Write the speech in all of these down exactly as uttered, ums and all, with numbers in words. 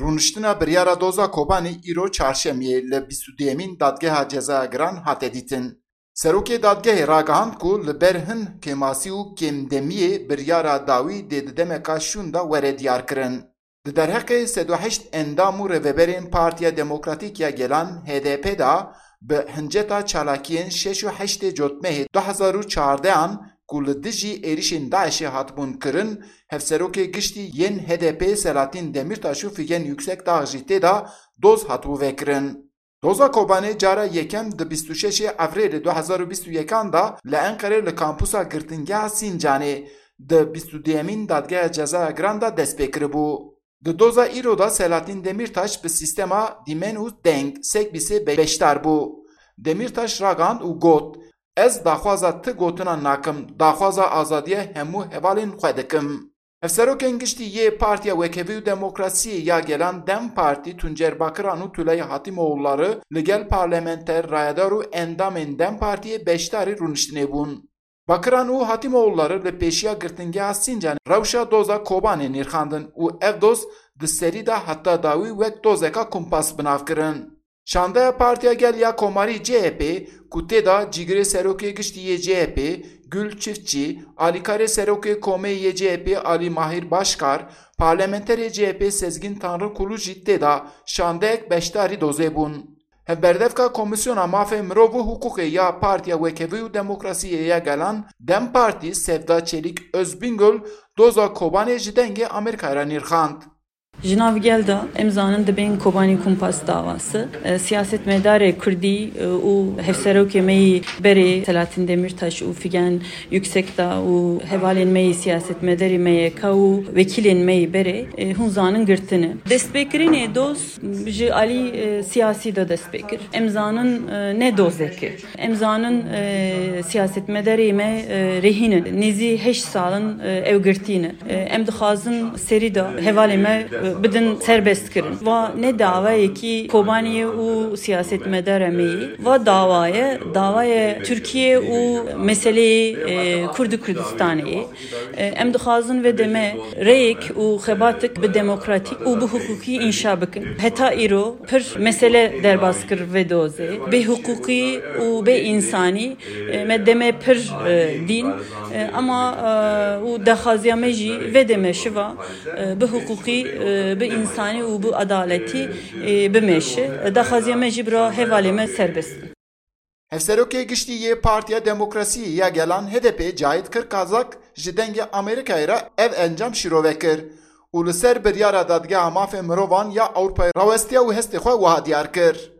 Rûniştina biryara doza Kobanê îro çarşemiyê li bîst û duyemîn Dadgeha Cezaya Giran hate dîtin. Serokê dadgehê ragihand ku li ber hin kêmasî û kêmdemiyê biryara dawî dê di demeka şûn de were diyarkirin. Di derheqê sed û heşt endam û rêveberên Partiya Demokratîk ya Gelan, H D P, de bi hinceta çalakiyên şeş û heştê Cotmehê du hezar û çardehan ku li dijî êrişên DAIŞê hatibûn kirin, hevserokê giştî yên H D P Selahattin Demirtaş û Figen Yüksekdağ jî tê de doz hatibû vekirin. Doza Kobanê cara yekem di bîst û şeşê Evrêlê du hezar û bîst û yekan de li Enqerê li kampusa girtingeha Sincanê di bîst û duyemîn Dadgeha Cezaya Giran de dest pê kiribû. Di doza îro de Selahattin Demirtaş bi sîstema dîmen û deng, sekbîsê, be-, beşdar bû. Demirtaş ragihand û got, Ez daxwaza ti gotinan nakim, daxwaza azadiya hemû hevalên xwe dikim. Hevserokên giştî yê Partiya Wekhevî û Demokrasiyê ya Gelan, DEM Partî, Tuncer Bakiran û Tülay Hatimoğulları li gel parlamenter, rayedar û endamên DEM Partiyê beşdarî rûniştinê bûn. Bakiran û Hatimoğulları li pêşiya girtingeha Sincanê rewşa doza Kobanê nirxandin û ev doz di serî de heta dawî wek dozeka kumpas bi nav kirin. Şandeya Partiya Gel ya Komarî, C H P, ku tê de cîgirê serokê giştî yê C H P, Gül Çiftçi, alîkarê serokê komê yê C H P Alî Mahîr Başkar, parlamenterê C H P Sezgîn Tanrıkulu jî tê de şandeyek beşdarî dozê bûn. Hevberdevka Komîsyona Mafê Mirov û Hiqûqê ya Partiya Wekhevî û Demokrasiyê ya Gelan, DEM Partî, Sevda Çelik Özbingöl, doza Kobanê ji Dengê Amerîkayê re nirxand. Ji nav gel de em zanin dibên Kobanî Kumpas davası, e, siyasetmedarê Kurdî, e, û hevserokê me yî berê Selahattin Demirtaş û Figen Yüksekdağ û hevalên me yî siyasetmedarê M Y K û wekîlên me yî berê, e, hûn zanin girtine. Destpêkirinê doz ji alî, e, siyasî de dest pê kir. Em zanin, e, ne dozek e. Em zanin, e, siyasetmedarê me, e, rehîn in. Nêzî heşt sal in, e, ew girtî ne. E, em dixwazin serî de hevalê me, e, bidin serbest kirin. Va ne dawayekî Kobaniyê û siyasetmedara me yê. Va dawaye, dawaye Tirkiye û meseleyê, e, Kurd û Kurdistanê yê. E, em dixwazin vê demê rêyek û xebatek bi demokratîk û bi hiqûqî înşa bikin. Heta îro pir mesele derbas kir vê dozê. Bê hiqûqî û bê însanî, e, me demê pir, e, dîn. E, ema, e, û daxwaziya me jî vê demê şiva, e, bi hiqûqî, e, bi însanî û bi adaletî, e, bimeşe. Daxwaziya me jî bira hevalê me serbest bin. Hevserokê giştî yê Partiya Demokrasiyê ya Gelan, H D P, Cahit Kırkazak ji Dengê Amerîkayê re ev encam şîrove kir û li ser biryara Dadgeha Mafê Mirovan ya Ewropayê rawestiya û hestê xwe wiha diyar kir.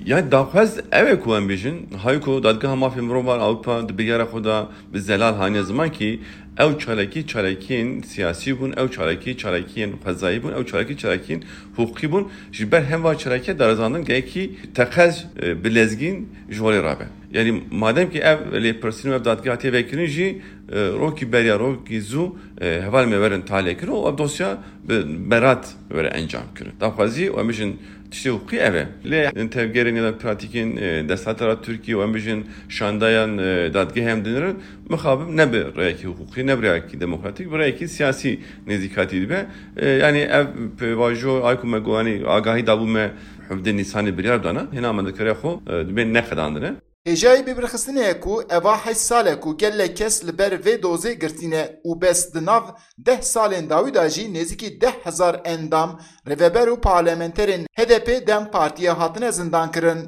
Yani daxwaz ew e ku em bêjin, hay ku Dadgeha Mafê Mirovan Ewropa di biryara xwe de bi zelal haniye ziman kî ew çalakî çalakiyên siyasî bûn, ew çalakî çalakiyên xwezayî bûn, ew çalakî çalakiyên hiqûqî bûn. Ji ber hemva çalakî darizandin gelekî teqez, e, bi lezgîn ji holê rabe. Yani madem ki ev lêpirsîn û ev dadgeha tê vekirin jî, e, rokî beriya, rokî zû, e, heval me werin talê kirin û ev dosya bi berat were encam kirin. Daxwazî û em bijin tiştê hiqûqî ev e. Lê tevgerên ya da pratîkên, e, desthilatê ra Tirkiye û em bijin şandayan, e, dadgehê em dinirin, mixabin ne bi rêyekî hiqûqî, ne bi rêyekî demokratîk, bi rêyekî siyasî nêzîkatî dibe. E, yani ev pêvajo ay ku me got, yani agahî dabû me hevdeh Nîsanê biryar dana, hêna me dikare xwe, e, dibên neqedandine. Hêjayî bibirxistinê ye ku eva heşt sal e ku gelek kes li ber vê dozê girtî ne û bes di nav deh salên dawî de jî nêzîkî deh hezar endam, rêveber û parlamenterên H D P DEM Partiyê hatine zindankirin.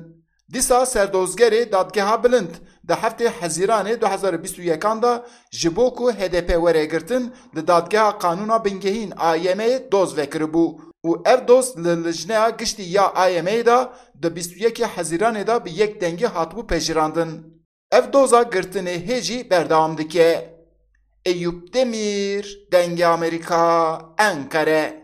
Dîsa serdozgerê Dadgeha Bilind di heftê Hezîranê du hezar û bîst û yekan de ji bo ku H D P were girtin, di Dadgeha Qanûna Bingehîn, A Y M'ê, doz vekiribû û ev doz li Lijneya Giştî ya A Y M'ê de di bîst û yekê Hezîranê de bi yek dengî hatibû pejirandin. Ev doza girtinê hê jî berdewam dike. Eyûp Demîr, Dengê Amerîka, Enqere.